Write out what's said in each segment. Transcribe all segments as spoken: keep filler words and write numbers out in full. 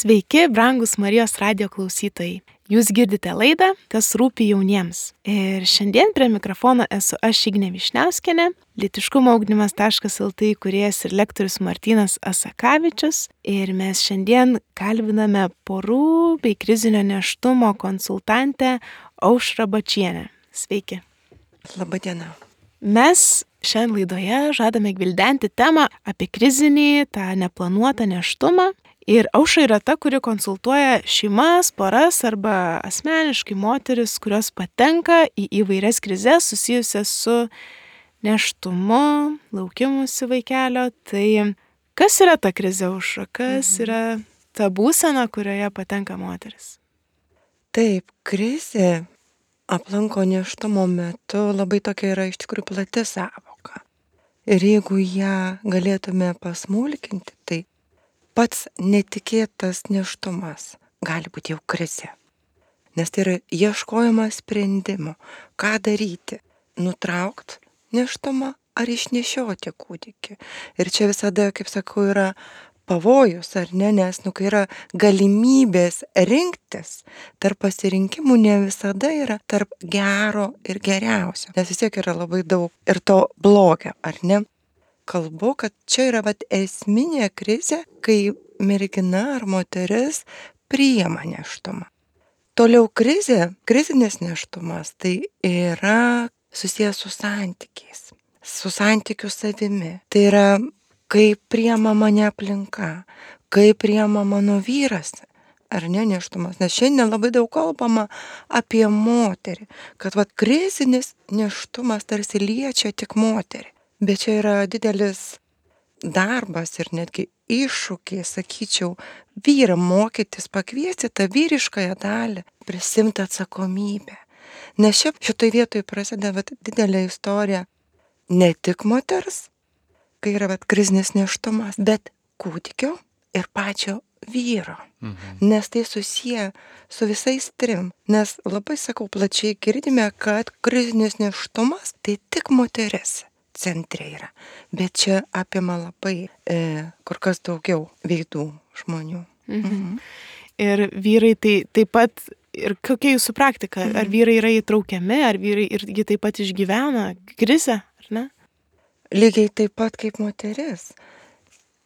Sveiki, brangus Marijos radijo klausytojai. Jūs girdite laidą, kas rūpi jauniems. Ir šiandien prie mikrofono esu aš Ignė Višniauskienė, lytiškumo ugdymas taškas el tė įkūrėjas ir lektorius Martynas Asakavičius. Ir mes šiandien kalbiname porų bei krizinio nėštumo konsultantę Aušrą Bačienę. Sveiki. Labą dieną. Mes šiandien laidoje žadame gvildenti temą apie krizinį, tą neplanuotą nėštumą. Ir Aušra yra ta, kuri konsultuoja šeimas, poras arba asmeniškai moteris, kurios patenka į įvairias krizes susijusias su nėštumu, laukimusi vaikelio. Tai kas yra ta krizė, Aušra? Kas yra ta būsena, kurioje patenka moteris? Taip, krizė aplanko nėštumo metu labai tokia yra iš tikrųjų plati sąvoka. Ir jeigu ją galėtume pasmulkinti, tai pats netikėtas nėštumas gali būti jau krizė. Nes tai yra ieškojimas sprendimo, ką daryti, nutraukti nėštumą ar išnešioti kūdikį. Ir čia visada, kaip sakau, yra pavojus, ar ne, nes nu, kai yra galimybės rinktis, tarp pasirinkimų ne visada yra tarp gero ir geriausio. Nes vis tiek yra labai daug ir to blogio, ar ne? Kalbu, kad čia yra vat, esminė krizė, kai mergina ar moteris priima nėštumą. Toliau krizė, krizinis nėštumas, tai yra susijęs su santykiais, su santykiu savimi. Tai yra, kaip priima mane aplinka, kaip priima mano vyras, ar ne nėštumas. Nes šiandien labai daug kalbama apie moterį, kad vat, krizinis nėštumas tarsi liečia tik moterį. Bet čia yra didelis darbas ir netgi iššūkiai, sakyčiau, vyrą mokytis, pakviesti tą vyriškąją dalį, prisimti atsakomybę. Nes šiaip šitoj vietoj prasideda vat, didelė istorija ne tik moters, kai yra vat, krizinis nėštumas, bet kūdikio ir pačio vyro. Mhm. Nes tai susiję su visais trim. Nes labai, sakau, plačiai girdime, kad krizinis nėštumas tai tik moteris centre yra. Bet čia apima labai e, kur kas daugiau veidų žmonių. Mhm. Mhm. Ir vyrai tai taip pat, ir kokia jūsų praktika? Mhm. Ar vyrai yra įtraukiami, ar vyrai irgi taip pat išgyvena krizę, ar ne? Lygiai taip pat kaip moteris.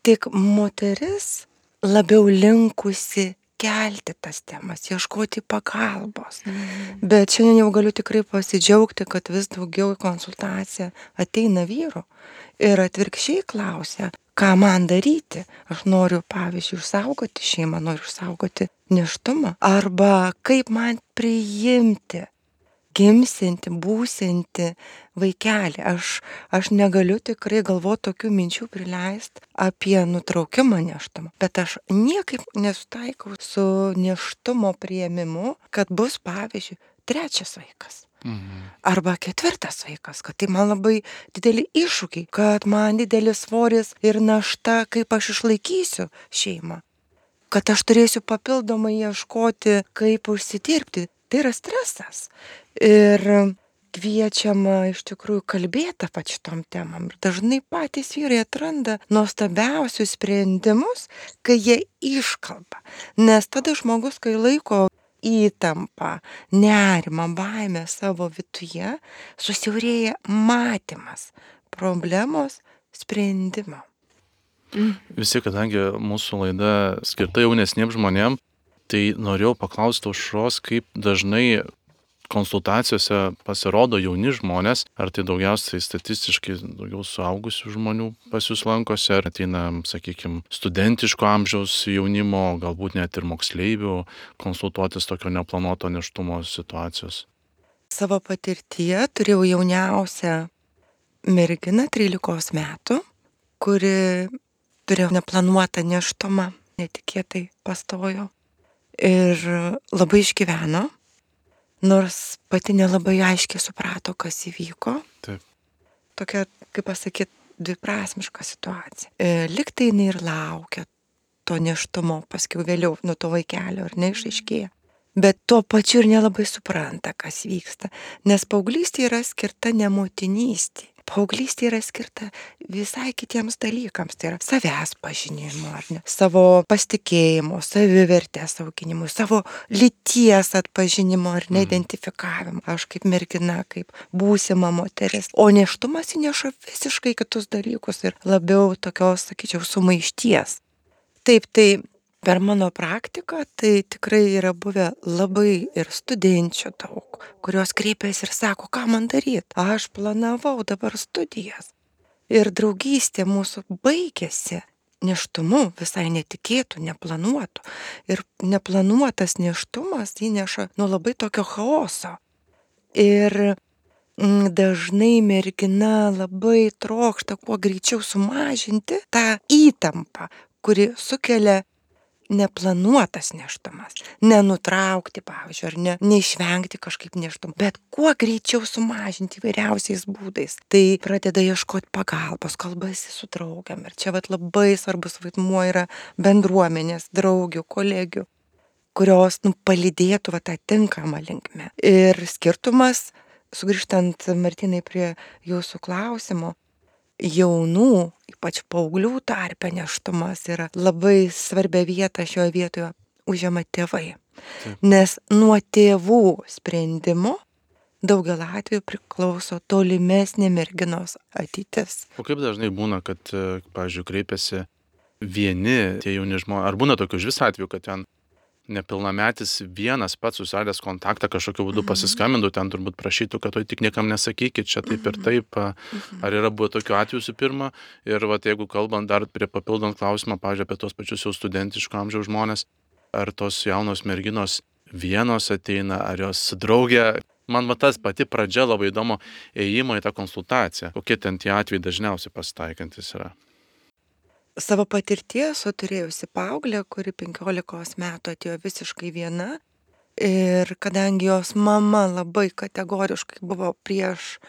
Tik moteris labiau linkusi kelti tas temas, ieškoti pagalbos. Mm. Bet šiandien jau galiu tikrai pasidžiaugti, kad vis daugiau į konsultaciją ateina vyrų ir atvirkščiai klausia, ką man daryti. Aš noriu, pavyzdžiui, išsaugoti šeimą, noriu išsaugoti nėštumą. Arba kaip man priimti, gimsinti, būsinti vaikelį. Aš, aš negaliu tikrai galvoti tokių minčių prileisti apie nutraukimą nėštumą. Bet aš niekaip nesutaikau su nėštumo priėmimu, kad bus, pavyzdžiui, trečias vaikas. Mhm. Arba ketvirtas vaikas, kad tai man labai dideli iššūkiai, kad man didelis svoris ir našta, kaip aš išlaikysiu šeimą. Kad aš turėsiu papildomai ieškoti, kaip užsidirbti. Tai yra stresas. Ir kviečiama iš tikrųjų kalbėti apie šitom temam. Ir dažnai patys vyrai atranda nuostabiausius sprendimus, kai jie iškalba. Nes tada žmogus, kai laiko įtampą, nerimą, baimę savo viduje, susiaurėja matymas problemos sprendimo. Visi, kadangi mūsų laida skirta jaunesniems žmonėms, tai norėjau paklausti Aušros, kaip dažnai konsultacijose pasirodo jauni žmonės, ar tai daugiausiai statistiškai daugiau suaugusių žmonių pas jūs lankosi, ar ateina, sakykime, studentiško amžiaus jaunimo, galbūt net ir moksleivių konsultuotis tokio neplanuoto nėštumo situacijos. Savo patirtyje turėjau jauniausią merginą trylikos metų, kuri turėjo neplanuotą nėštumą, netikėtai pastojo. Ir labai išgyveno, nors pati nelabai aiškiai suprato, kas įvyko. Taip. Tokia, kaip pasakyti, dviprasmiška situacija. E, Liktai jinai ir laukia to nėštumo, paskiau vėliau nuo to vaikelio, ar neišaiškėja. bet tuo pačiu ir nelabai supranta, kas vyksta. Nes paauglystė yra skirta ne motinystė. Paauglystė yra skirta visai kitiems dalykams. Tai yra savęs pažinimo, ar ne? Savo pasitikėjimo, savivertės auginimui, savo lyties atpažinimo ar neidentifikavimo. Aš kaip mergina, kaip būsima moteris. O nėštumas įneša visiškai kitus dalykus ir labiau tokios, sakyčiau, sumaišties. Taip, tai per mano praktiką tai tikrai yra buvę labai ir studenčių daug, kurios kreipiasi ir sako, ką man daryti. Aš planavau dabar studijas. Ir draugystė mūsų baigėsi nėštumu, visai netikėtų, neplanuotų. Ir neplanuotas nėštumas įneša nu labai tokio chaoso. Ir mm, dažnai mergina labai trokšta kuo greičiau sumažinti tą įtampą, kuri sukelia neplanuotas nėštumas. Nenutraukti, pavyzdžiui, ar ne, neišvengti kažkaip nėštumą, bet kuo greičiau sumažinti įvairiausiais būdais. Tai pradeda ieškoti pagalbos, kalbasi su draugiam. Ir čia vat labai svarbus vaidmuo yra bendruomenės, draugių, kolegių, kurios nu, palydėtų va, tą tinkamą linkmę. Ir skirtumas, sugrįžtant Martynai prie jūsų klausimo, jaunų, ypač paauglių tarpe nėštumas yra labai svarbia vieta šioje vietoje užima tėvai. Taip. Nes nuo tėvų sprendimo daugelį atvejų priklauso tolimesnė merginos ateitis. O kaip dažnai būna, kad, pavyzdžiui, kreipiasi vieni tie jauni žmonės, ar būna tokių iš vis atvejų, kad ten nepilnametis vienas pats susiradęs kontaktą kažkokiu būdu pasiskambintų, ten turbūt prašytų, kad to tik niekam nesakykit, čia taip ir taip. Ar yra buvo tokių atvejų su pirma? Ir vat, jeigu kalbant dar prie papildant klausimą, pavyzdžiui, apie tos pačius jau studentiško amžiaus žmonės, ar tos jaunos merginos vienos ateina, ar jos su drauge? Man va tas pati pradžia labai įdomu ėjimo į tą konsultaciją. Kokie ten tie atvejai dažniausiai pasitaikantis yra? Savo patirties, o turėjusi paauglę, kuri penkiolikos metų atėjo visiškai viena. Ir kadangi jos mama labai kategoriškai buvo prieš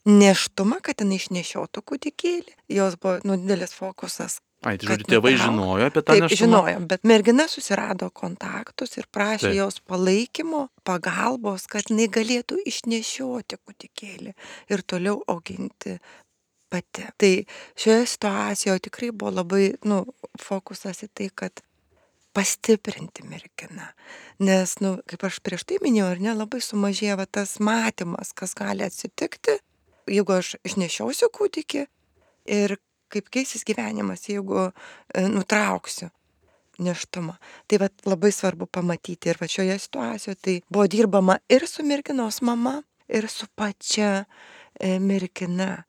nėštumą, kad jinai išnešiotų kūdikėlį, jos buvo nu, didelis fokusas. Ai, tai žodžiu, tėvai žinojo apie tą Taip, nėštumą? žinojo, bet mergina susirado kontaktus ir prašė Taip. jos palaikymo, pagalbos, kad jinai galėtų išnešioti kūdikėlį ir toliau auginti pati. Tai šioje situacijoje tikrai buvo labai nu, fokusas į tai, kad pastiprinti merginą. Nes, nu, kaip aš prieš tai minėjau, ar ne, labai sumažėjo tas matymas, kas gali atsitikti, jeigu aš išnešiausiu kūdikį ir kaip keisis gyvenimas, jeigu e, nutrauksiu nėštumą. Tai vat, labai svarbu pamatyti ir va šioje situacijoje tai buvo dirbama ir su merginos mama, ir su pačia e, mergina.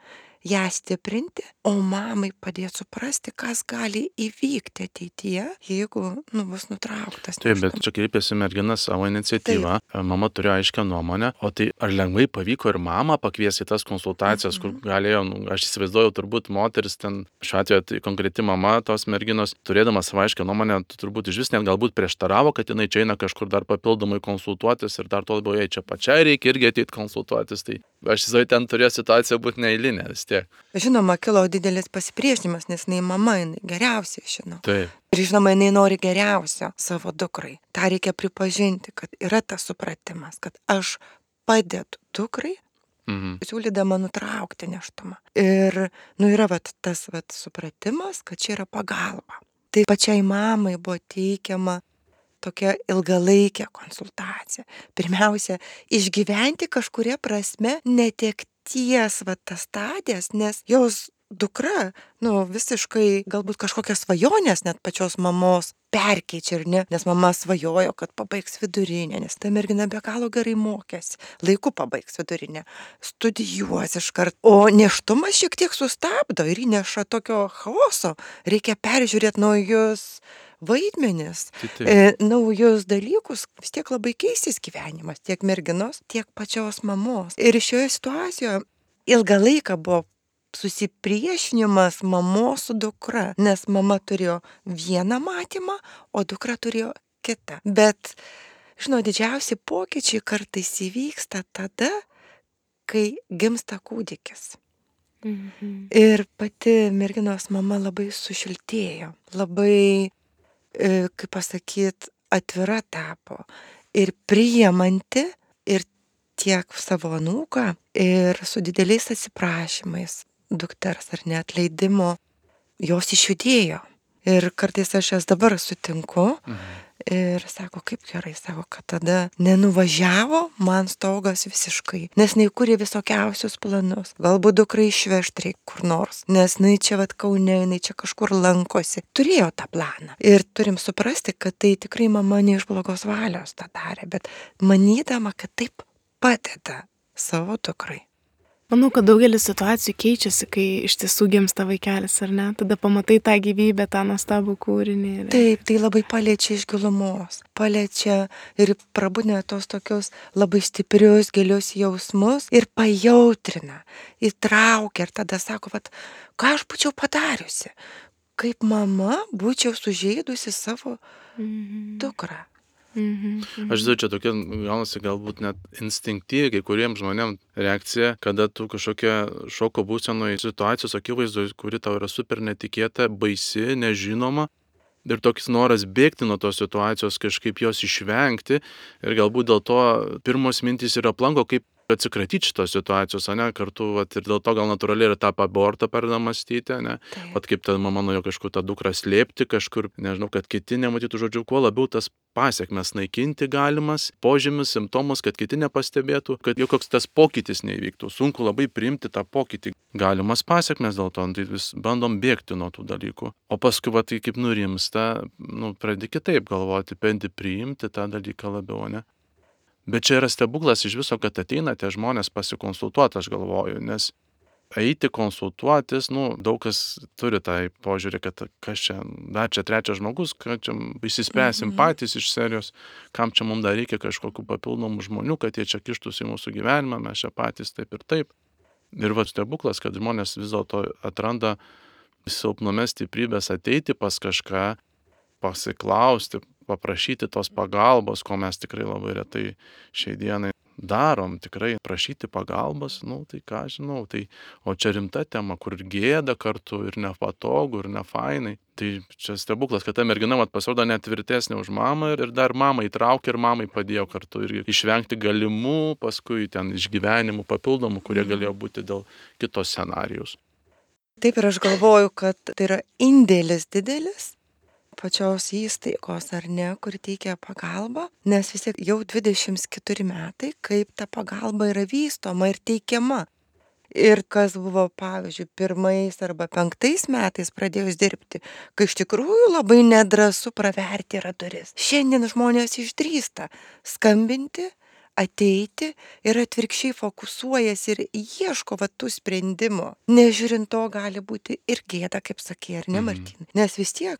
Ją stiprinti, o mamai padėti suprasti, kas gali įvykti ateityje, jeigu nu, bus nutrauktas. Taip, bet čia kreipėsi mergina savo iniciatyvą, Taip. Mama turėjo aiškę nuomonę, o tai ar lengvai pavyko ir mamą pakviesti į tas konsultacijas, mm-hmm. kur galėjo, nu, aš įsivaizduoju, turbūt moteris ten, šiuo atveju tai konkreti mama tos merginos, turėdama savo aiškę nuomonę, turbūt iš vis net galbūt prieštaravo, kad jinai čia eina kažkur dar papildomai konsultuotis ir dar to labiau jai čia pačiai reikia irgi ateiti konsultuotis. Tai aš įsivaizduoju, ten turėjo situacija būti neeilinė vis tiek. Žinoma, kilo didelis pasipriešinimas, nes jinai mama, jinai geriausiai žino. Taip. Ir žinoma, jinai nori geriausio savo dukrai. Ta reikia pripažinti, kad yra tas supratimas, kad aš padedu dukrai, mhm. siūlydama nutraukti nėštumą. Ir nu, yra vat, tas vat, supratimas, kad čia yra pagalba. Tai pačiai mamai buvo teikiama tokia ilgalaikė konsultacija. Pirmiausia, išgyventi kažkuria prasme netekties va tas stadijas, nes jos dukra, nu, visiškai galbūt kažkokias svajonės net pačios mamos perkeičia, ir ne, nes mama svajojo, kad pabaigs vidurinę, nes ta mergina be galo gerai mokėsi, laiku pabaigs vidurinę, studijuos iškart, o nėštumas šiek tiek sustabdo ir įneša tokio chaoso, reikia peržiūrėti naujus vaidmenis, e, naujus dalykus, vis tiek labai keistis gyvenimas, tiek merginos, tiek pačios mamos. Ir šioje situacijoje ilgą laiką buvo susipriešinimas mamos su dukra, nes mama turėjo vieną matymą, o dukra turėjo kitą. Bet, žinau, didžiausi pokyčiai kartais įvyksta tada, kai gimsta kūdikis. Mhm. Ir pati merginos mama labai sušiltėjo, labai, kaip pasakyt, atvira tapo. ir priimanti ir tiek savo anūką ir su dideliais atsiprašymais dukters ar neatleidimo jos išjudėjo. Ir kartais aš jas dabar sutinku Mhm. ir sako, kaip gerai, sako, kad tada nenuvažiavo man stogas visiškai, nes jinai kūrė visokiausius planus. Galbūt dukrai išvežti reikia kur nors, nes jinai čia vat Kaune, jinai čia kažkur lankosi. Turėjo tą planą. Ir turim suprasti, kad tai tikrai mama ne iš blogos valios tą darė, bet manydama, kad taip padeda savo dukrai. Manau, kad daugelis situacijų keičiasi, kai iš tiesų gimsta vaikelis, ar ne? Tada pamatai tą gyvybę, tą nuostabų kūrinį. Ir... Taip, tai labai paliečia iš gilumos. Paliečia ir prabūdina tos tokius labai stiprius, gilius jausmus ir pajautrina, įtraukia ir tada sako, vat, ką aš būčiau padariusi, kaip mama būčiau sužeidusi savo Mhm. dukrą. Mhm. Aš žinau, čia tokia gaunasi galbūt net instinktyvi kai kuriems žmonėms reakcija, kada tu kažkokia šoko būsenoje situacijos akivaizdoje, kuri tau yra super netikėta, baisi, nežinoma. Ir toks noras bėgti nuo tos situacijos, kažkaip jos išvengti. Ir galbūt dėl to pirmos mintys yra aplanko, kaip atsikratyti šitos situacijos, ne, kartu, vat, ir dėl to gal natūraliai ir tą abortą pradeda mąstyti, ne, vat kaip ta mama nuėjo kažkur tą dukrą slėpti, kažkur, nežinau, kad kiti nematytų, žodžiu, kuo labiau tas pasiekmes naikinti galimas, požymis, simptomus, kad kiti nepastebėtų, kad joks tas pokytis neįvyktų. Sunku labai priimti tą pokytį. Galimas pasiekmes dėl to, tai vis bandom bėgti nuo tų dalykų. O paskui, va, tai kaip nurimsta, nu, pradedi kitaip galvoti, pendi priimti tą dalyką labiau, ne. Bet čia yra stebuklas iš viso, kad ateina tie žmonės pasikonsultuoti, aš galvoju, nes eiti konsultuotis, nu, daug kas turi tą požiūrį, kad kas čia, dar čia trečias žmogus, kad čia išsispręsim Mhm. patys iš serijos, kam čia mums dar reikia kažkokių papildomų žmonių, kad jie čia kištųsi į mūsų gyvenimą, mes čia patys taip ir taip. Ir va stebuklas, kad žmonės vis dėlto atranda silpnume stiprybės ateiti pas kažką, pasiklausti, paprašyti tos pagalbos, ko mes tikrai labai retai šiai dienai darom, tikrai prašyti pagalbos, nu tai ką žinau, tai o čia rimta tema, kur ir gėda kartu, ir nepatogu, ir nefainai. Tai čia stebuklas, kad ta mergina mat pasirodo net tvirtesnė už mamą ir dar mamą įtraukė ir mamai padėjo kartu ir išvengti galimų paskui ten išgyvenimų papildomų, kurie galėjo būti dėl kitos scenarijus. Taip ir aš galvoju, kad tai yra indėlis didelis pačios įstaigos, ar ne, kur teikia pagalbą, nes vis tiek jau dvidešimt keturi metai, kaip ta pagalba yra vystoma ir teikiama. Ir kas buvo, pavyzdžiui, pirmais arba penktais metais pradėjus dirbti, kai iš tikrųjų labai nedrąsu praverti yra duris. Šiandien žmonės išdrįsta skambinti, ateiti ir atvirkščiai fokusuojasi ir ieško va tų sprendimų. Nežiūrint to gali būti ir gėda, kaip sakė, ar ne, Martynai? Nes vis tiek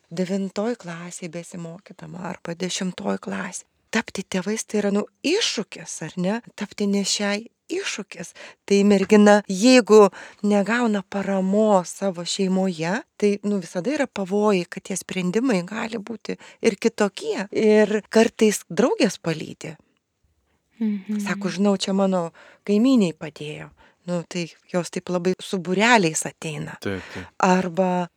devintoj klasėje besimokydama arba dešimtoj klasėje. Tapti tėvais tai yra, nu, iššūkis, ar ne? Tapti nešiai iššūkis. Tai mergina, jeigu negauna paramos savo šeimoje, tai, nu, visada yra pavojai, kad tie sprendimai gali būti ir kitokie. Ir kartais draugės palydi. Mhm. Sako, žinau, čia mano kaimyniai padėjo. Nu, tai jos taip labai su būreliais ateina. Taip, taip. Arba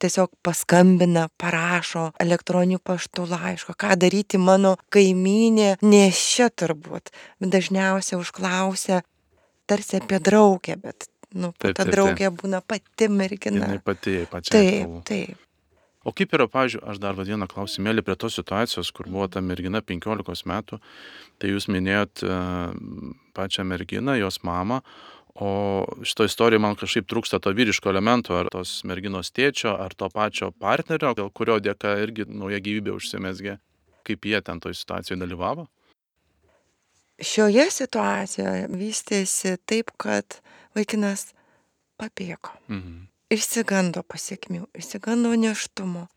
tiesiog paskambina, parašo elektroniniu paštu laišką, ką daryti mano kaimynė, nešia turbūt. Dažniausiai užklausia tarsi apie draugę, bet, nu, Taip, ta taip, draugė būna pati mergina. Jinai pati pačiai. Taip, taip. O kaip yra, pavyzdžiui, aš dar vieną klausimėlį prie tos situacijos, kur buvo ta mergina penkiolikos metų, tai jūs minėjot uh, pačią merginą, jos mamą, o šito istorijoje man kažkaip trūksta to vyriško elemento, ar tos merginos tėčio, ar to pačio partnerio, dėl kurio dėka irgi nauja gyvybė užsimezgė. Kaip jie ten toj situacijoje dalyvavo? Šioje situacijoje vystėsi taip, kad vaikinas pabėgo. Mhm. Išsigando pasiekmių, išsigando nėštumo,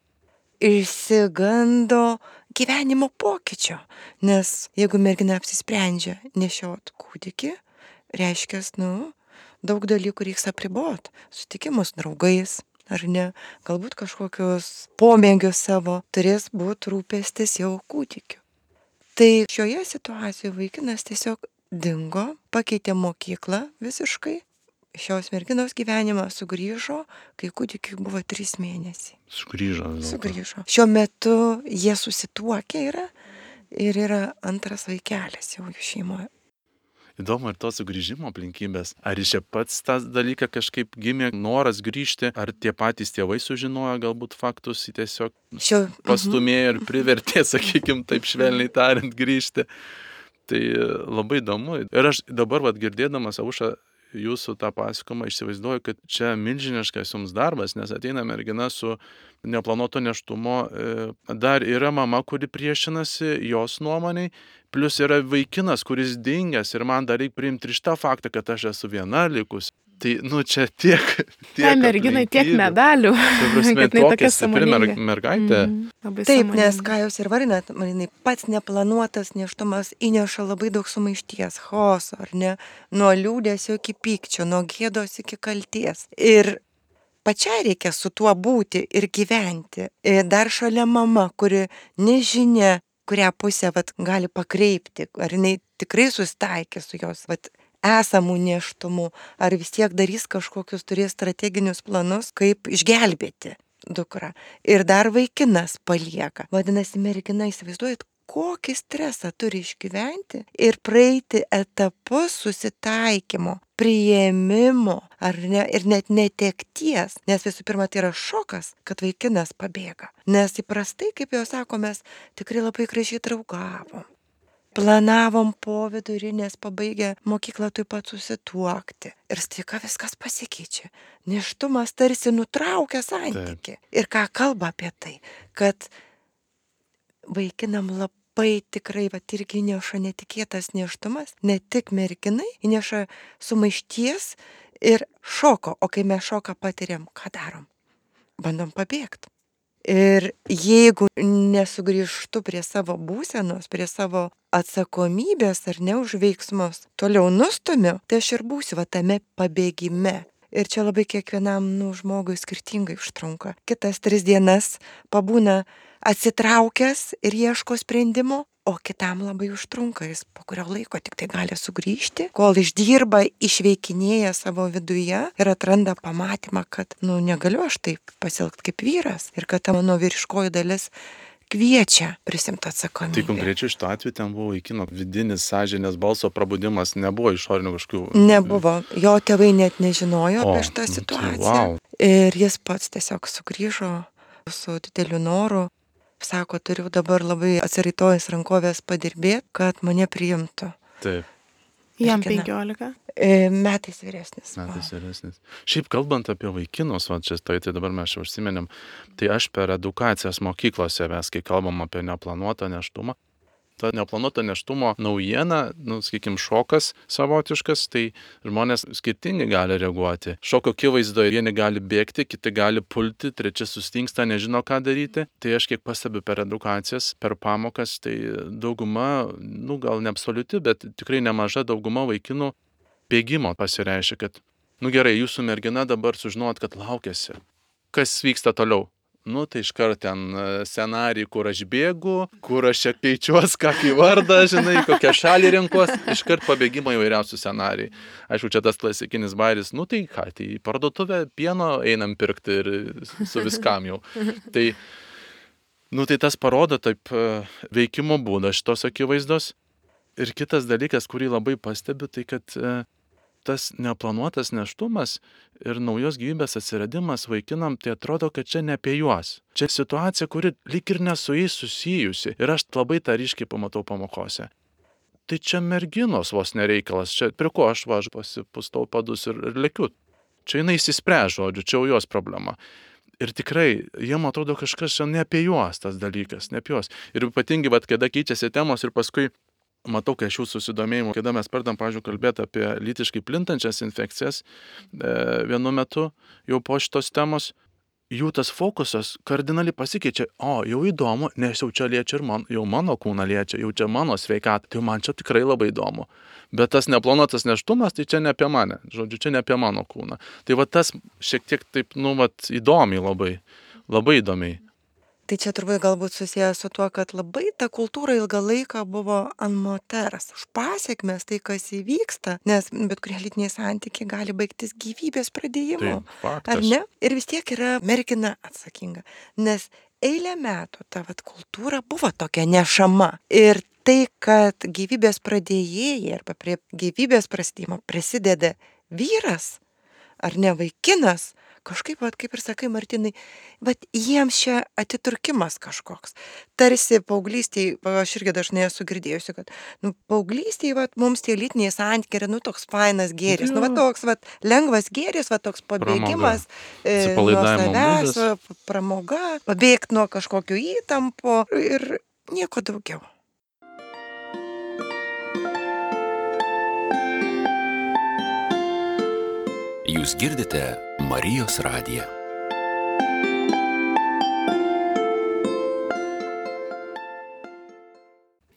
išsigando gyvenimo pokyčio. Nes jeigu mergina apsisprendžia nešiot kūdikį, reiškia, nu, daug dalykų reiks apribot. Sutikimus draugais, ar ne, galbūt kažkokius pomėgius savo turės būti rūpestis jau kūdikiu. Tai šioje situacijoje vaikinas tiesiog dingo, pakeitė mokyklą visiškai. Šios merginos gyvenimą sugrįžo, kai kūdikiui buvo trys mėnesiai. Sugrįžo. Sugrįžo. Šiuo metu jie susituokę yra ir yra antras vaikelis jau jų šeimoje. Įdomu ir to sugrįžimo aplinkybės. Ar iš čia pats tas dalyką kažkaip gimė noras grįžti, ar tie patys tėvai sužinojo galbūt faktus, į tiesiog Šio, pastumėjo ir privertė, sakykim, taip švelniai tariant, grįžti. Tai labai įdomu. Ir aš dabar, vat, girdėdamas Aušra jūsų tą pasakojimą, įsivaizduoju, kad čia milžiniškas jums darbas, nes ateina mergina su neplanuoto nėštumo, dar yra mama, kuri priešinasi jos nuomoniai, plus yra vaikinas, kuris dingęs ir man dar reikia priimti ir šitą faktą, kad aš esu viena likus. Tai, nu, čia tiek... tiek Tai merginai tiek medalių. Ta prasme, tokia stipri mer mergaitė. Mm, Taip, nes ką jūs ir varinat, maninai, pats neplanuotas nėštumas įneša labai daug sumaišties, chaoso, ar ne, nuo liūdėsio iki pykčio, nuo gėdos iki kalties. Ir pačiai reikia su tuo būti ir gyventi. Ir dar šalia mama, kuri nežinia, kurią pusę vat, gali pakreipti, ar jinai tikrai susitaikė su jos vat, esamų nėštumų, ar vis tiek darys kažkokius, turės strateginius planus, kaip išgelbėti dukrą. Ir dar vaikinas palieka. Vadinasi, mergina, įsivaizduojat, kokį stresą turi išgyventi ir praeiti etapus susitaikymo, priėmimo, ar ne, ir net netekties. Nes visų pirma, tai yra šokas, kad vaikinas pabėga. Nes įprastai, kaip jau sako, mes tikrai labai gražiai draugavom. Planavom po vidurinės pabaigę mokyklą taip pat susituokti. Ir staiga viskas pasikeičia. Nėštumas tarsi nutraukia santykį. Ir ką kalba apie tai, kad vaikinam labai tikrai va, irgi įneša netikėtas nėštumas, ne tik merginai, įneša sumaišties ir šoko. O kai mes šoką patiriam, ką darom? Bandom pabėgti. Ir jeigu nesugrįžtu prie savo būsenos, prie savo atsakomybės ar ne už veiksmus, toliau nustumiu, tai aš ir būsiu va tame pabėgime. Ir čia labai kiekvienam nu, žmogui skirtingai užtrunka. Kitas tris dienas pabūna atsitraukęs ir ieško sprendimo, o kitam labai užtrunka, jis po kurio laiko tik tai gali sugrįžti, kol išdirba, išveikinėja savo viduje ir atranda pamatymą, kad, nu, negaliu aš taip pasielgti kaip vyras ir kad ta mano vyriškoji dalis kviečia prisimti atsakomybę. Tai konkrečiai šituo atveju ten buvo vaikino vidinis sąžinės balso prabudimas, nebuvo išorinių kažkokių... Nebuvo, jo tėvai net nežinojo O, apie šitą nu tai situaciją. vau. Ir jis pats tiesiog sugrįžo su dideliu noru. Sako, turiu dabar labai atsiraitojęs rankovės padirbėti, kad mane priimtų. Taip, Jam Mergina. penkiolika. E, metais vyresnis. metais vyresnis. Šiaip kalbant apie vaikinus, va, čia tai, tai dabar mes čia užsimenėm, tai aš per edukacijas mokyklose, mes kai kalbam apie neplanuotą nėštumą, ta neplanuota nėštumo naujiena, nu, sakykim, šokas savotiškas, tai žmonės skirtingai gali reaguoti. Šoko akivaizdoje vieni gali bėgti, kiti gali pulti, trečia sustingsta, nežino, ką daryti. Tai aš kiek pastebiu per edukacijas, per pamokas, tai dauguma, nu, gal ne absoliuti, bet tikrai nemaža dauguma vaikinų bėgimo pasireiškia, kad, nu gerai, jūsų mergina dabar sužinot, kad laukiasi. Kas vyksta toliau? Nu, tai iškart ten scenarijai, kur aš bėgu, kur aš čia keičiuos, kokį vardą, žinai, kokią šalį renkuos, iškart pabėgimo įvairiausių scenarijai. Aišku, čia tas klasikinis bairis, nu tai ką, tai į parduotuvę pieno einam pirkti ir su viskam jau. Tai, nu, tai tas parodo taip veikimo būdą šitos akivaizdos. Ir kitas dalykas, kurį labai pastebiu, tai kad tas neplanuotas nėštumas ir naujos gyvybės atsiradimas vaikinam, tai atrodo, kad čia ne apie juos. Čia situacija, kuri lyg ir nesu jais susijusi. Ir aš labai tą ryškiai pamatau pamokose. Tai čia merginos vos nereikalas. Čia prie ko aš važiu, pasipustau padus ir, ir lekiu. Čia jinai įsispręs, žodžiu, čia jau jos problema. Ir tikrai, jiem atrodo kažkas čia ne apie juos tas dalykas, ne apie juos. Ir ypatingai, vat, kada keičiasi temos ir paskui matau, kai aš jų susidomėjimų, kada mes pradam, pavyzdžiui, kalbėti apie lytiškai plintančias infekcijas e, vienu metu, jau po šitos temos, jų tas fokusas kardinaliai pasikeičia. O, jau įdomu, nes jau čia liečia ir man, jau mano kūną liečia, jau čia mano sveikatą. Tai man čia tikrai labai įdomu. Bet tas neplanuotas nėštumas, tai čia ne apie mane. Žodžiu, čia ne apie mano kūną. Tai va tas šiek tiek taip, nu, vat, įdomiai labai, labai įdomiai. Tai čia turbūt galbūt susijęs su tuo, kad labai ta kultūra ilgą laiką buvo ant moters. Už pasiekmes tai, kas įvyksta, nes bet kurie lytiniai santykiai gali baigtis gyvybės pradėjimu. Tai faktas. Ar ne? Ir vis tiek yra mergina atsakinga. Nes eilę metų ta vat kultūra buvo tokia nešama. Ir tai, kad gyvybės pradėjėjai arba prie gyvybės prasidėjimo prisideda vyras ar ne vaikinas, kažkaip, vat, kaip ir sakai, Martinai, bet jiems čia atiturkimas kažkoks. Tarsi paauglystėje, aš irgi dažnai esu girdėjusi, kad nu, paauglystėje vat, mums tie lytiniai santykiai yra nu, toks fainas gėris, nu, va, toks vat, lengvas gėris, va, toks pabėgimas e, nuo savęs, va, pramoga, pabėgti nuo kažkokio įtampo ir nieko daugiau. Jūs girdite Marijos radiją.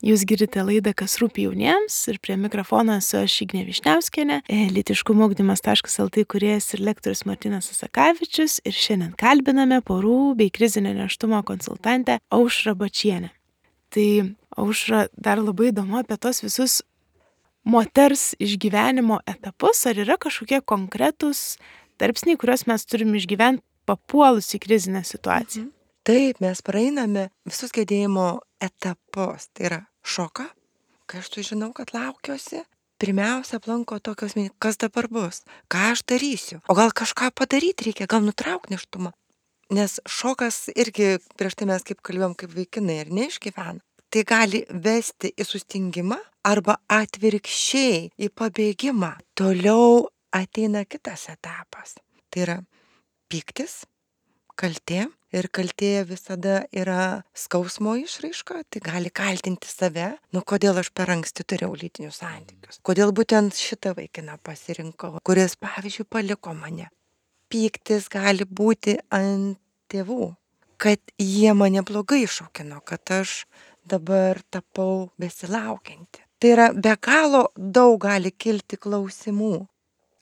Jūs girdite laidą Kas rūpi jauniems ir prie mikrofono esu aš Ignė Višniauskienė, lytiškumo ugdymas taškas el tė kūrėjas ir lektorius Martynas Asakavičius ir šiandien kalbiname porų bei krizinio nėštumo konsultantę Aušrą Bačienę. Tai Aušra, dar labai įdomu apie tos visus moters išgyvenimo etapus, ar yra kažkokie konkretūs tarpsniai, kuriuos mes turim išgyventi papuolus į krizinę situaciją? Mhm. Taip, mes praeiname visus gedėjimo etapus. Tai yra šoką, kai aš sužinau, kad laukiuosi. Pirmiausia, aplanko tokios mintis, kas dabar bus, ką aš darysiu. O gal kažką padaryti reikia, gal nutraukti nėštumą. Nes šokas irgi, prieš tai mes kaip kalbėjom, kaip vaikinai ir neišgyvena. Tai gali vesti į sustingimą arba atvirkščiai į pabėgimą. Toliau ateina kitas etapas. Tai yra pyktis, kaltė. Ir kaltė visada yra skausmo išraiška, tai gali kaltinti save, nu kodėl aš per anksti turėjau lytinius santykius. Kodėl būtent šitą vaikiną pasirinkau, kuris, pavyzdžiui, paliko mane. Pyktis gali būti ant tėvų, kad jie mane blogai išaukino, kad aš dabar tapau besilaukianti. Tai yra be galo daug gali kilti klausimų.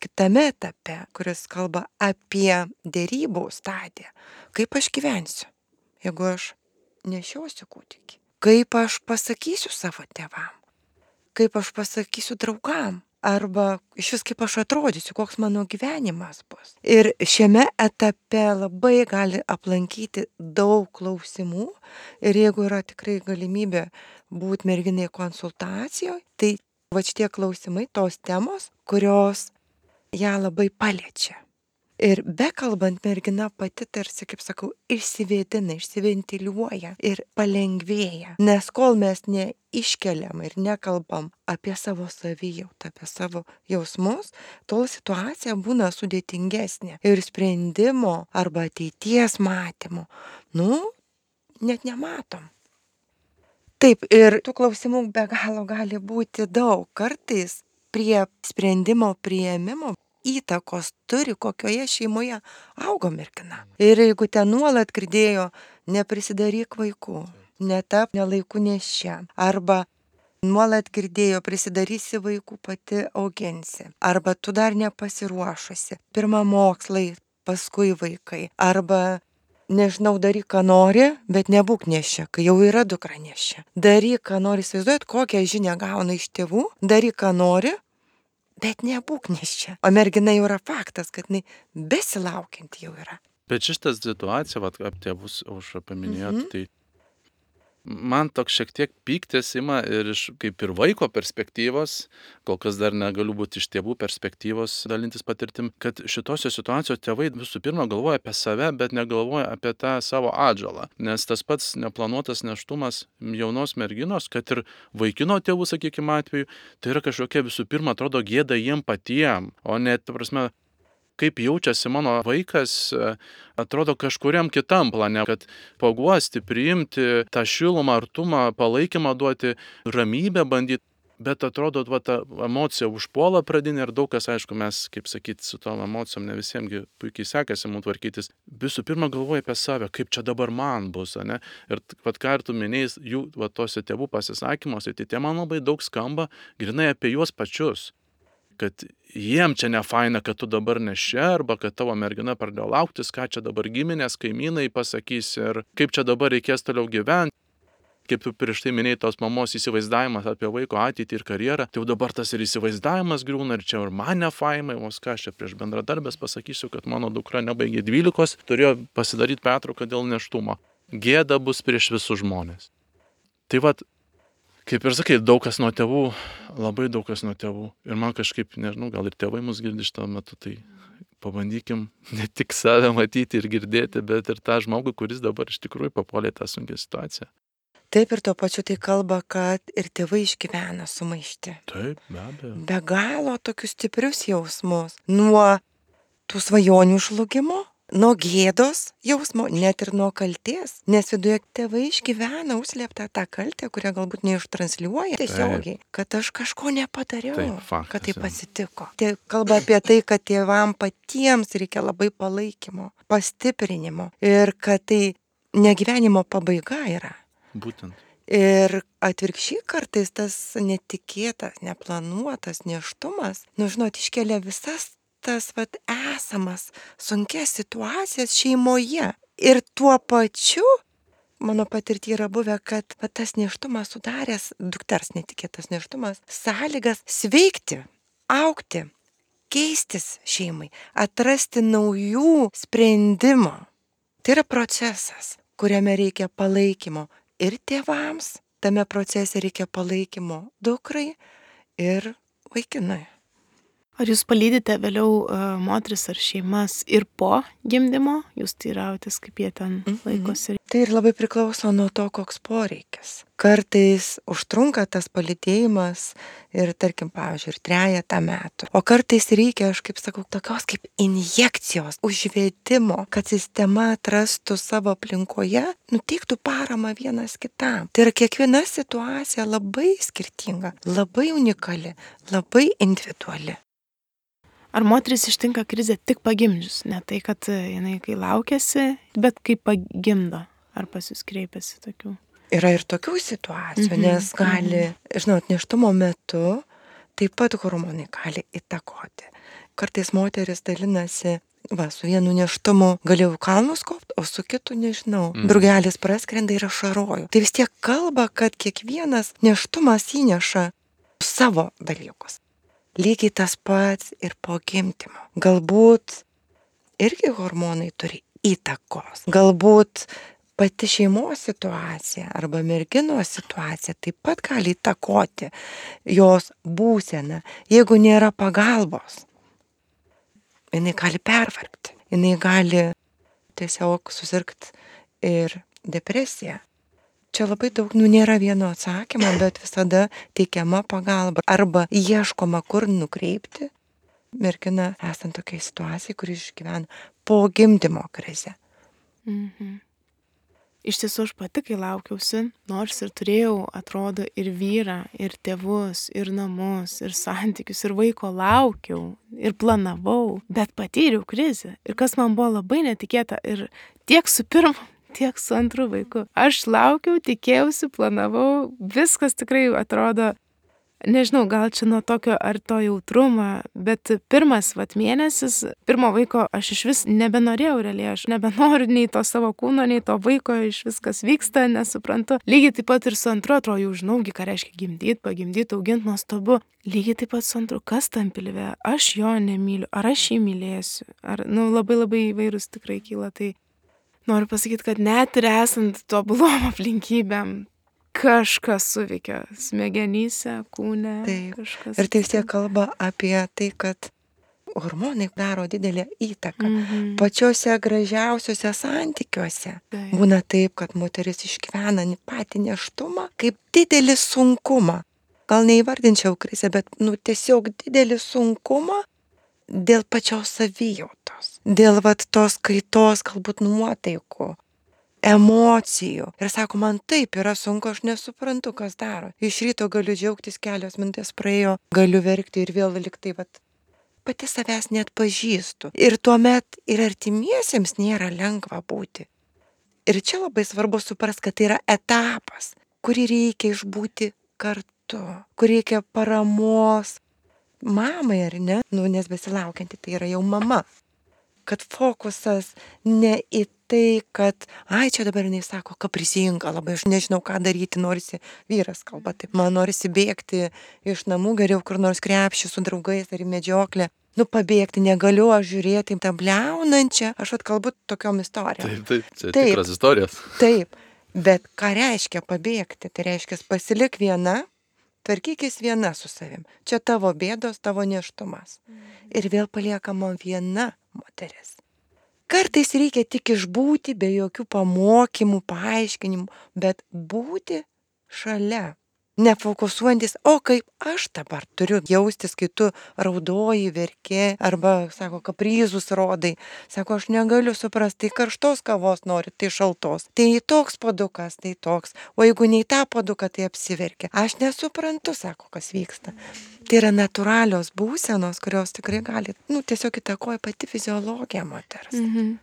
Kitame etape, kuris kalba apie derybų stadiją, kaip aš gyvensiu, jeigu aš nešiosiu kūdikį, kaip aš pasakysiu savo tėvam, kaip aš pasakysiu draugam, arba iš vis kaip aš atrodysiu, koks mano gyvenimas bus. Ir šiame etape labai gali aplankyti daug klausimų ir jeigu yra tikrai galimybė būti merginai konsultacijoje, tai va šitie klausimai, tos temos, kurios ją labai paliečia. Ir bekalbant mergina pati tarsi, kaip sakau, išsivėdina, išsiventiliuoja ir palengvėja. Nes kol mes neiškeliam ir nekalbam apie savo savijautą, apie savo jausmus, tol situacija būna sudėtingesnė. Ir sprendimo arba ateities matymo, nu, net nematom. Taip, ir tų klausimų be galo gali būti daug. Kartais prie sprendimo priėmimo įtakos turi, kokioje šeimoje augo mergina. Ir jeigu ten nuolat girdėjo, neprisidaryk vaikų, netap nelaikų neščia, arba nuolat girdėjo, prisidarysi vaikų, pati auginsi, arba tu dar nepasiruošusi, pirma mokslai, paskui vaikai, arba nežinau, daryk, ką nori, bet nebūk neščia, kai jau yra dukra neščia. Daryk, ką nori, įsivaizduojat, kokią žinią gauna iš tėvų, daryk, ką nori, bet nebūk neščia. O mergina jau yra faktas, kad jinai besilaukianti jau yra. Bet šitas situacija, vat, apie tėvus Aušra paminėjot, Mhm. tai man toks šiek tiek pyktis ima ir iš kaip ir vaiko perspektyvos, kol kas dar negaliu būti iš tėvų perspektyvos dalintis patirtim, kad šitose situacijose tėvai visų pirma galvoja apie save, bet negalvoja apie tą savo atžalą. Nes tas pats neplanuotas nėštumas jaunos merginos, kad ir vaikino tėvų, sakykime, atveju, tai yra kažkokia visų pirma atrodo gėda jiem patiem, o ne, ta prasme, kaip jaučiasi mano vaikas, atrodo kažkuriam kitam plane, kad paguosti, priimti tą šilumą, artumą, palaikymą duoti, ramybę bandyti, bet atrodo, va, ta emocija užpuola pradinė ir daug kas, aišku, mes, kaip sakyti, su tom emocijom ne visiemgi puikiai sekasi mums tvarkytis. Visų pirma galvoja apie save, kaip čia dabar man bus, ne? Ir vat ką ir tu minėjai, jų va, tose tėvų pasisakymuose, tai tie man labai daug skamba grinai apie juos pačius. Kad jiem čia nefaina, kad tu dabar nešia, arba kad tavo mergina pradėjo lauktis, ką čia dabar giminės, kaimynai pasakys ir kaip čia dabar reikės toliau gyventi. Kaip tu prieš tai minėjai tos mamos įsivaizdavimas apie vaiko ateitį ir karjerą, tai jau dabar tas ir įsivaizdavimas griūna ir čia ir man nefaimai, vos ką aš čia prieš bendradarbės pasakysiu, kad mano dukra nebaigė dvylikos, turėjo pasidaryti pertrauką dėl nėštumo. gėda bus prieš visus žmonės. Tai vat, kaip ir sakai, daug kas nuo tėvų, labai daug kas nuo tėvų. Ir man kažkaip, nežinau, gal ir tėvai mus girdi šitą metu, tai pabandykim ne tik save matyti ir girdėti, bet ir tą žmogų, kuris dabar iš tikrųjų papuolė tą sunkią situaciją. Taip, ir tuo pačiu tai kalba, kad ir tėvai išgyvena sumaištį. Taip, be abejo. Be galo tokius stiprius jausmus. Nuo tų svajonių žlugimo, nuo gėdos jausmo, net ir nuo kaltės. Nes viduje tėvai išgyvena užslėptą tą kaltę, kurią galbūt neištransliuoja tiesiogiai. Kad aš kažko nepadariau, Taip, faktas, kad tai jau. pasitiko. Tai kalba apie tai, kad tėvam patiems reikia labai palaikymo, pastiprinimo. Ir kad tai ne gyvenimo pabaiga yra. Būtent. Ir atvirkščiai kartais tas netikėtas, neplanuotas nėštumas, nu žinot, iškelia visas tas vat esamas sunkias situacijas šeimoje. Ir tuo pačiu, mano patirty yra buvę, kad vat tas nėštumas sudaręs, dukters netikėtas nėštumas, sąlygas sveikti, augti, keistis šeimai, atrasti naujų sprendimų. Tai yra procesas, kuriame reikia palaikymo. Ir tėvams tame procese reikia palaikymo dukrai ir vaikinui. Ar jūs palydite vėliau uh, moteris ar šeimas ir po gimdymo? Jūs teirautės, kaip jie ten laikosi? Tai ir labai priklauso nuo to, koks poreikis. Kartais užtrunka tas palydėjimas ir, tarkim, pavyzdžiui, ir trejetą metų. O kartais reikia, aš kaip sakau, tokios kaip injekcijos, užvedimo, kad sistema atrastų savo aplinkoje, nuteiktų paramą vienas kitam. Tai yra kiekviena situacija labai skirtinga, labai unikali, labai individuali. Ar moteris ištinka krizė tik pagimdžius? Ne tai, kad jinai kai laukiasi, bet kai pagimdo. Ar pas jūs kreipiasi tokių? Yra ir tokių situacijų, Mhm, nes gali, žinot, nėštumo metu taip pat hormonai gali įtakoti. Kartais moteris dalinasi, va, su vienu nėštumu galėjau kalnus kopti, o su kitu nežinau. Mhm. Drugelis praskrenda ir ašaroju. Tai vis tiek kalba, kad kiekvienas nėštumas įneša savo dalykus. Lygiai tas pats ir po gimdymo. Galbūt irgi hormonai turi įtakos. Galbūt pati šeimos situacija arba merginos situacija taip pat gali įtakoti jos būseną. Jeigu nėra pagalbos, jinai gali pervargti. Jinai gali tiesiog susirgti ir depresiją. Čia labai daug, nu nėra vieno atsakymo, bet visada teikiama pagalba arba ieškoma, kur nukreipti merginą esant tokiai situacijai, kuri išgyvena po gimdymo krizę. Mhm. Iš tiesų aš pati, kai laukiausi, nors ir turėjau, atrodo, ir vyrą, ir tėvus, ir namus, ir santykius, ir vaiko laukiau, ir planavau, bet patyriau krizę. Ir kas man buvo labai netikėta, ir tiek su pirmu, tiek su antru vaiku. Aš laukiau, tikėjausi, planavau, viskas tikrai atrodo, nežinau, gal čia nuo tokio ar to jautrumo, bet pirmas vat mėnesis, pirmo vaiko aš iš vis nebenorėjau realiai, aš nebenoriu nei to savo kūno, nei to vaiko, iš viskas vyksta, nesuprantu. Lygiai taip pat ir su antru, atrodo, jau žinaugi, ką reiškia gimdyti, pagimdyti, auginti, nuostabu. Lygiai taip pat su antru, kas tam pilve, aš jo nemyliu, ar aš jį mylėsiu, ar, nu, labai labai įvairūs tikrai kyla. Tai noriu pasakyti, kad net ir esant tobulom aplinkybėm, kažkas suveikia smegenyse, kūne. Taip. Kažkas. Ir tai vis tiek kalba apie tai, kad hormonai daro didelę įtaką. Mhm. Pačiuose gražiausiuose santykiuose. Taip. Būna taip, kad moteris išgyvena patį nėštumą kaip didelį sunkumą. Gal neįvardinčiau krizę, bet nu, tiesiog didelį sunkumą dėl pačios savijautos. Dėl vat, tos kaitos, galbūt nuotaikų, emocijų. Ir sako, man taip yra sunku, aš nesuprantu, kas daro. Iš ryto galiu džiaugtis, kelios minutės praėjo, galiu verkti ir vėl liktai, vat, pati savęs net pažįstu. Ir tuomet ir artimiesiems nėra lengva būti. Ir čia labai svarbu suprasti, kad tai yra etapas, kurį reikia išbūti kartu, kur reikia paramos mamai, ar ne? Nu, nes besilaukianti tai yra jau mama. Kad fokusas ne į tai, kad, ai, čia dabar jinai sako, kaprizinga, labai aš nežinau, ką daryti, norisi, vyras kalba taip, man norisi bėgti iš namų, geriau kur nors krepšį su draugais ar į medžioklę. Nu, pabėgti negaliu aš žiūrėti tą bliaunančią, aš atkalbu tokiom istorijom. Taip, taip, čia Taip. tikras istorijos. Taip, bet ką reiškia pabėgti? Tai reiškia pasilik viena, tvarkykis viena su savim. Čia tavo bėdos, tavo nėštumas. Ir vėl paliekama viena moteris. Kartais reikia tik išbūti be jokių pamokymų, paaiškinimų, bet būti šalia. Nefokusuojantis, o kaip aš dabar turiu jaustis, kai tu raudoji, verki, arba, sako, kapryzus rodai. Sako, aš negaliu suprasti, tai karštos kavos nori, tai šaltos. Tai toks puodukas, tai toks. O jeigu nei tą puoduką, tai apsiverkia. Aš nesuprantu, sako, kas vyksta. Tai yra natūralios būsenos, kurios tikrai gali, nu, tiesiog įtakoja pati fiziologija moters. Mhm.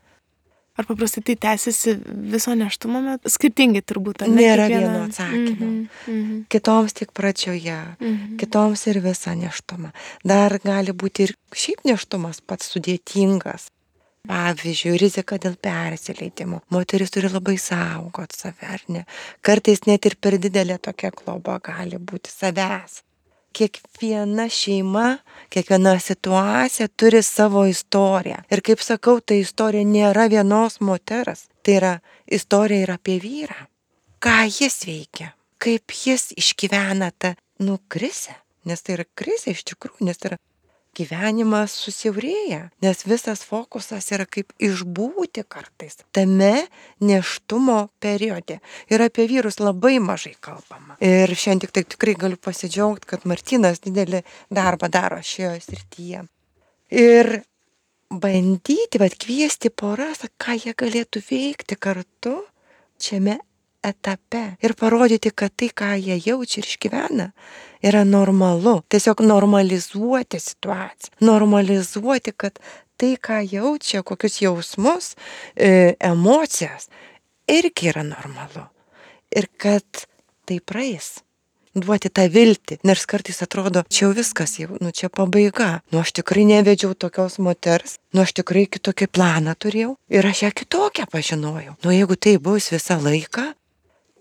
Ar paprastai tai tęsiasi viso nėštumo metu? Skirtingai turbūt, ar ne? Nėra Kiekviena- vieno atsakymo. Mhm, mhm, Kitoms tik pradžioje, mhm. kitoms ir visą nėštumą. Dar gali būti ir šiaip nėštumas pats sudėtingas. Pavyzdžiui, rizika dėl persileidimo. Moteris turi labai saugot save, ar ne? Kartais net ir per didelė tokia globa gali būti savęs. Kiekviena šeima, kiekviena situacija turi savo istoriją. Ir kaip sakau, ta istorija nėra vienos moters. Tai yra istorija ir apie vyrą. Ką jis veikia, kaip jis išgyvena tą, nu, krizę. Nes tai yra krizė iš tikrųjų, nes tai yra gyvenimas susiaurėja. Nes visas fokusas yra kaip išbūti kartais tame nėštumo periode. Ir apie vyrus labai mažai kalbama. Ir šiandien tik tai tikrai galiu pasidžiaugti, kad Martynas didelį darbą daro šioje srityje. Ir bandyti, bet kviesti poras, ką jie galėtų veikti kartu šiame etape. Ir parodyti, kad tai, ką jie jaučia ir išgyvena, yra normalu. Tiesiog normalizuoti situaciją. Normalizuoti, kad tai, ką jaučia, kokius jausmus, e, emocijas, irgi yra normalu. Ir kad tai praeis. Duoti tą viltį. Nors kartais atrodo, čia jau viskas, jau, nu čia pabaiga. Nu aš tikrai nevedžiau tokios moters. Nu aš tikrai kitokį planą turėjau. Ir aš ją kitokią pažinojau. Nu jeigu tai bus visą laiką,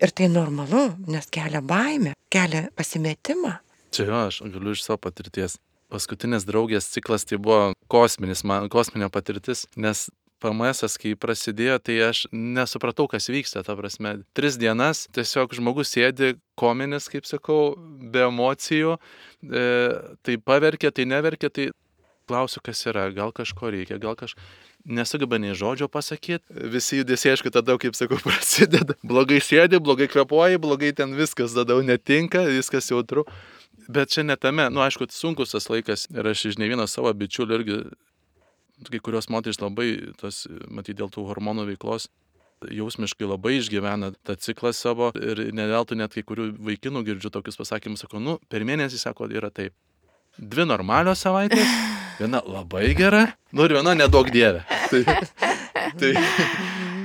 ir tai normalu, nes kelia baimę, kelia pasimetimą. Čia jo, aš galiu iš savo patirties. Paskutinės draugės ciklas tai buvo kosminis, man, kosminė patirtis, nes P M S, kai prasidėjo, tai aš nesupratau, kas vyksta, ta prasme. Tris dienas tiesiog žmogus sėdi kominis, kaip sakau, be emocijų, e, tai paverkia, tai neverkia, tai klausiu, kas yra, gal kažko reikia, gal kažko. Nesugeba nei žodžio pasakyti, visi judesiai, aišku, tada, kaip sakau, prasideda. Blogai sėdi, blogai kvepuoji, blogai ten viskas, tada jau netinka, viskas jautru. Bet čia netame, nu aišku, sunkus tas laikas ir aš iš ne vieno savo bičiulių irgi, kai kurios moterys labai, tas, matyt, dėl tų hormonų veiklos, jausmiškai labai išgyvena tą ciklą savo ir neveltui net kai kurių vaikinų girdžiu tokius pasakymus, sako, nu, per mėnesį, sako, yra taip. Dvi normalios savaitės, viena labai gera, nu ir viena nedaug dievė. Tai, tai,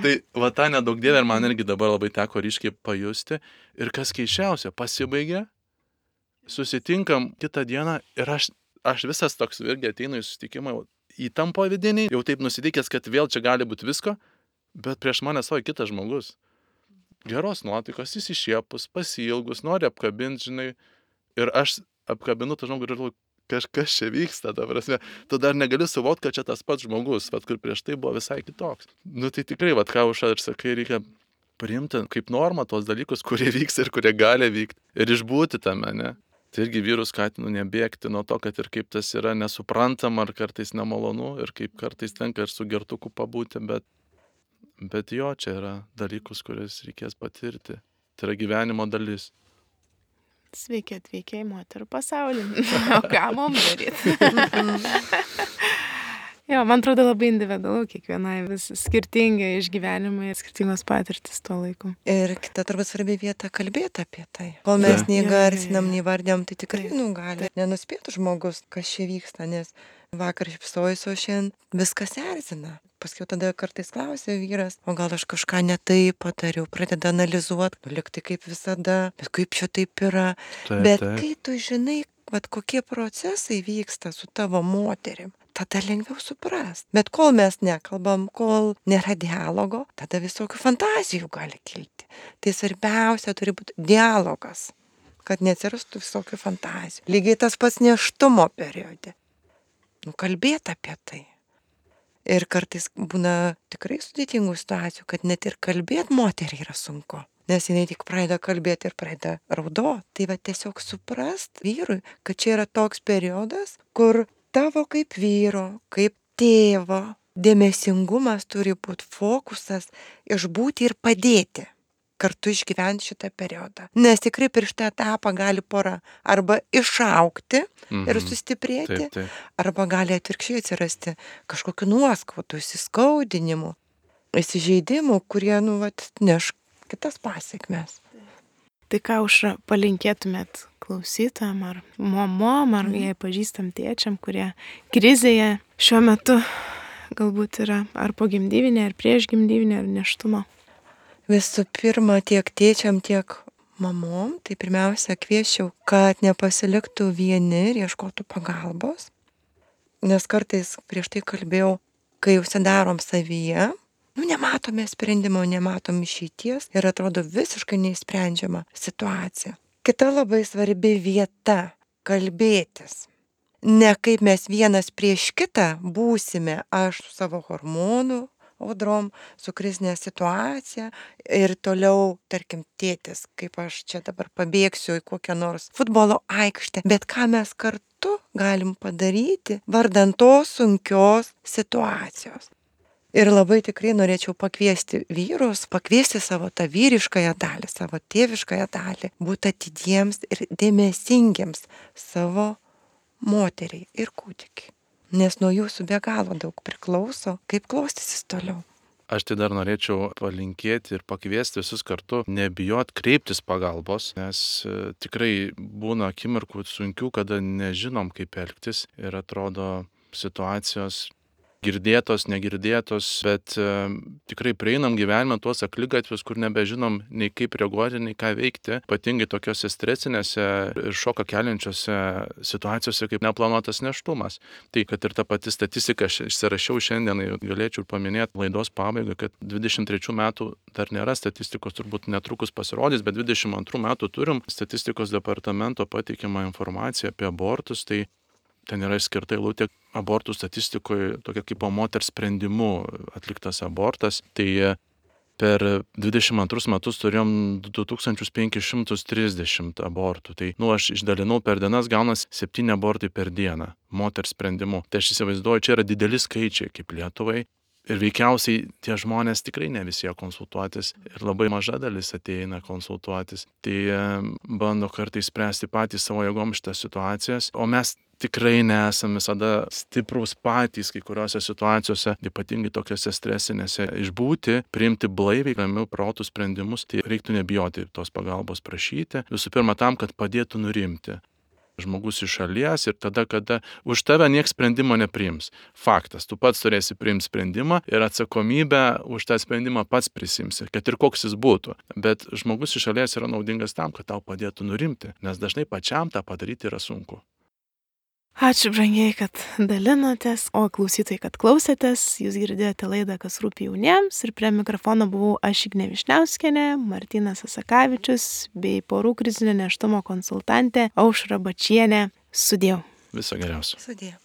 tai va tą nedaug dievė ir man irgi dabar labai teko ryškiai pajusti. Ir kas keišiausia, pasibaigė, susitinkam kitą dieną ir aš, aš visas toks irgi ateinu į susitikimą, įtampo vidinį, jau taip nusiteikęs, kad vėl čia gali būti visko, bet prieš mane stovi kitas žmogus. Geros nuotaikos, jis išėpus, pasiilgus, nori apkabinti, žinai, ir aš apkabinu tą žmogų ir galvoju, kažkas čia vyksta, ta prasme, tu dar negali suvokti, kad čia tas pats žmogus, vat, kur prieš tai buvo visai kitoks. Nu tai tikrai, vat, ką už ir sakai, reikia priimti kaip normą tos dalykus, kurie vyks ir kurie gali vykti ir išbūti tame, ne? Tai irgi vyrus skatinu nebėgti nuo to, kad ir kaip tas yra nesuprantama ar kartais nemalonu ir kaip kartais tenka ir su gertuku pabūti, bet, bet jo, čia yra dalykus, kurias reikės patirti. Tai yra gyvenimo dalis. Sveiki atvykę į moterų pasaulį. O ką mums daryti? Jo, man atrodo labai individualu, kiekvienai vis skirtingai išgyvenimai, skirtingos patirtis tuo laiku. Ir kita turbūt svarbi vieta kalbėti apie tai. Kol mes Taip. neįgarsinam, neįvardėm, tai tikrai nu, gali nenuspėti žmogus, kas čia vyksta, nes vakar šipsojus, o šiandien viskas erzina. Paskiau tada kartais klausė vyras, o gal aš kažką ne taip patariau, pradeda analizuoti, nu likti kaip visada, bet kaip čia taip yra. Taip, Bet taip. kai tu žinai, vat, kokie procesai vyksta su tavo moterim, tada lengviau suprast. Bet kol mes nekalbam, kol nėra dialogo, tada visokių fantazijų gali kilti. Tai svarbiausia turi būti dialogas, kad neatsirastų visokių fantazijų. Lygiai tas pats nėštumo periode. nu, kalbėti apie tai. Ir kartais būna tikrai sudėtingų situacijų, kad net ir kalbėti moteriai yra sunku. Nes jinai tik pradeda kalbėti ir pradeda raudoti. Tai va tiesiog suprast vyrui, kad čia yra toks periodas, kur tavo kaip vyro, kaip tėvo dėmesingumas turi būti fokusas išbūti ir padėti kartu išgyventi šitą periodą. Nes tikrai per šitą etapą gali pora arba išaugti mhm. ir sustiprėti, taip, taip. Arba gali atvirkščiai atsirasti kažkokiu nuoskaudų, įsiskaudinimu, įsižeidimų, kurie, nu, vat, neš kitas pasiekmes. Tai ką, Aušra, palinkėtumėt klausytojam ar mamom, ar jei pažįstam tėčiam, kurie krizėje šiuo metu galbūt yra ar pogimdyvinė, ar priešgimdyvinė, ar nėštumo? Visų pirma, tiek tėčiam, tiek mamom, tai pirmiausia kvieščiau, kad nepasiliktų vieni ir ieškotų pagalbos. Nes kartais prieš tai kalbėjau, kai užsidarom savyje, nu nematome sprendimo, nematom išeities ir atrodo visiškai neįsprendžiama situacija. Kita labai svarbi vieta - kalbėtis. Ne kaip mes vienas prieš kitą būsime, aš su savo hormonų audrom, su krizinė situacija ir toliau, tarkim, tėtis, kaip aš čia dabar pabėgsiu į kokią nors futbolo aikštę, bet ką mes kartu galim padaryti vardant tos sunkios situacijos. Ir labai tikrai norėčiau pakviesti vyrus, pakviesti savo tą vyriškąją dalį, savo tėviškąją dalį, būti atidiems ir dėmesingiems savo moteriai ir kūdikiai. Nes nuo jūsų be galo daug priklauso, kaip klostysis toliau. Aš tai dar norėčiau palinkėti ir pakviesti visus kartu, nebijot kreiptis pagalbos, nes tikrai būna akimirkų sunkių, kada nežinom, kaip elgtis ir atrodo situacijos girdėtos, negirdėtos, bet e, tikrai prieinam gyvenime tuos akligatvius, kur nebežinom nei kaip reaguoti, nei ką veikti, ypatingai tokiose stresinėse ir šoką keliančiose situacijose kaip neplanuotas nėštumas. Tai kad ir ta pati statistika, aš išsirašiau šiandien, galėčiau paminėti laidos pabaigą, kad dvidešimt trečių metų dar nėra statistikos, turbūt netrukus pasirodys, bet dvidešimt antrų metų turim statistikos departamento pateikimą informaciją apie abortus, tai ten yra skirta eilutė abortų statistikoje, tokia kaip po moters sprendimu atliktas abortas. Tai per dvidešimt antrus metus turėjom du tūkstančius penkis šimtus trisdešimt abortų. Tai, nu, aš išdalinau per dienas, gaunas septyni abortai per dieną moters sprendimu. Tai aš įsivaizduoju, čia yra dideli skaičiai kaip Lietuvai. Ir veikiausiai tie žmonės tikrai ne visi konsultuotis ir labai maža dalis ateina konsultuotis. Tai bando kartais spręsti patys savo jėgom šitas situacijas, o mes tikrai nesame visada stiprus patys kai kuriuose situacijose, ypatingai tokiuose stresinėse, išbūti, priimti blaiviai, ramiau protų sprendimus, tai reiktų nebijoti tos pagalbos prašyti. Visų pirma tam, kad padėtų nurimti. Žmogus iš šalies ir tada, kada už tave nieks sprendimo nepriims. Faktas, tu pats turėsi priimti sprendimą ir atsakomybę už tą sprendimą pats prisimsi, kad ir koks jis būtų. Bet žmogus iš šalies yra naudingas tam, kad tau padėtų nurimti, nes dažnai pačiam tą padaryti yra sunku. Ačiū, brangiai, kad dalinotės, o klausytojai, kad klausėtės. Jūs girdėjote laidą Kas rūpi jauniems ir prie mikrofono buvau aš Ignė Višniauskienė, Martynas Asakavičius bei porų krizinio nėštumo konsultantė Aušra Bačienė. Sudiev. Viso geriausio. Sudiev.